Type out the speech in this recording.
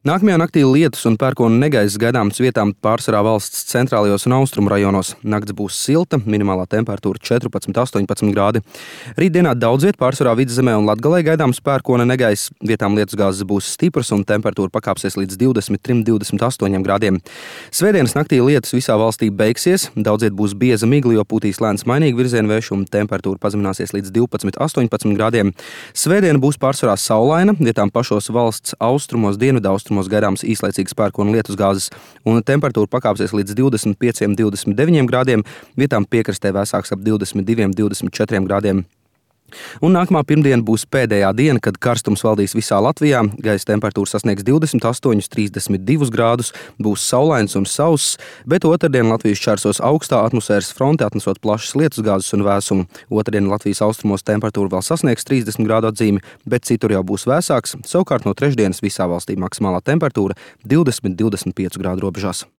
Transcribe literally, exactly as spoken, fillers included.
Nākamajā naktī lietus un pērkona negaiss gaidāms vietām pārsvarā valsts centrālajos un austrumu rajonos. Nakts būs silta, minimālā temperatūra četrpadsmit līdz astoņpadsmit grādi. Rītdienā daudz viet pārsvarā Vidzemē un Latgalē gaidāms pērkona negaiss. Vietām lietusgāzes būs stipras un temperatūra pakāpsies līdz divdesmit trim līdz divdesmit astoņiem grādiem. Svētdienas naktī lietus visā valstī beigsies, daudz viet būs bieza migla, jo pūtīs lēns mainīgi virziena vējš un temperatūra pazemināsies līdz divpadsmit līdz astoņpadsmit grādiem. Svētdiena būs pārsvarā saulaina, vietām pašos valsts austrumos, dienvidaustrumos gaidāms īslaicīgas pērkona lietusgāzes, un temperatūra pakāpsies līdz divdesmit pieciem līdz divdesmit deviņiem grādiem, vietām piekrastē vēsāks ap divdesmit diviem līdz divdesmit četriem grādiem. Un nākamā pirmdiena būs pēdējā diena, kad karstums valdīs visā Latvijā. Gaisa temperatūra sasniegs divdesmit astoņus līdz trīsdesmit divus grādus, būs saulains un sauss, bet otrdien Latvijas šķērsos augstā atmosfēras fronte, atnesot plašas lietusgāzes un vēsumu. Otrdien Latvijas austrumos temperatūra vēl sasniegs trīsdesmit grādu atzīmi, bet citur jau būs vēsāks. Savukārt no trešdienas visā valstī maksimālā temperatūra divdesmit līdz divdesmit pieci grādu robežās.